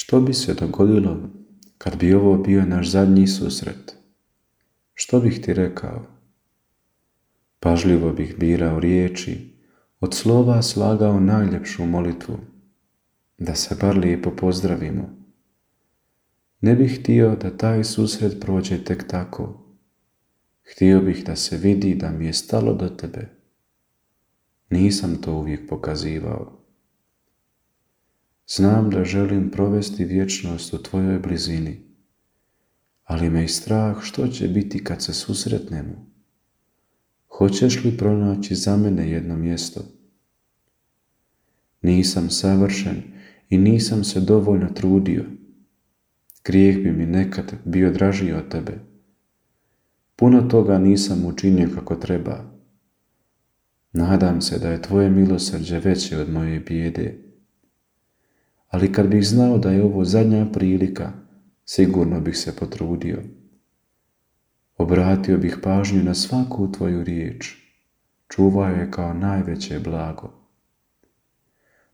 Što bi se dogodilo kad bi ovo bio naš zadnji susret? Što bih ti rekao? Pažljivo bih birao riječi, od slova slagao najljepšu molitvu, da se bar lijepo pozdravimo. Ne bih htio da taj susret prođe tek tako. Htio bih da se vidi da mi je stalo do tebe. Nisam to uvijek pokazivao. Znam da želim provesti vječnost u tvojoj blizini, ali me i strah što će biti kad se susretnemo. Hoćeš li pronaći za mene jedno mjesto? Nisam savršen i nisam se dovoljno trudio. Grijeh bi mi nekad bio draži od tebe. Puno toga nisam učinio kako treba. Nadam se da je tvoje milosrđe veće od moje bijede. Ali kad bih znao da je ovo zadnja prilika, sigurno bih se potrudio. Obratio bih pažnju na svaku tvoju riječ. Čuvao je kao najveće blago.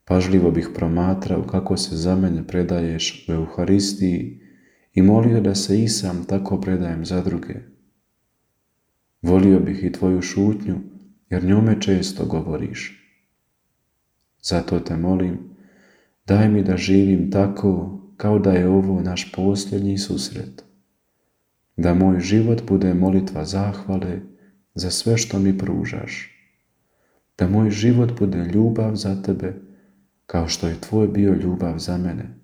Pažljivo bih promatrao kako se za mene predaješ u Euharistiji i molio da se i sam tako predajem za druge. Volio bih i tvoju šutnju, jer njome često govoriš. Zato te molim, daj mi da živim tako kao da je ovo naš posljednji susret. Da moj život bude molitva zahvale za sve što mi pružaš. Da moj život bude ljubav za tebe, kao što je tvoj bio ljubav za mene.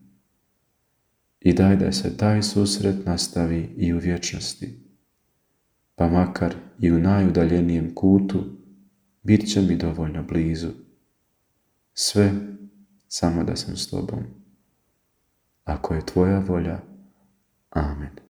I daj da se taj susret nastavi i u vječnosti. Pa makar i u najudaljenijem kutu, bit će mi dovoljno blizu. Sve samo da sam s tobom. Ako je tvoja volja, amen.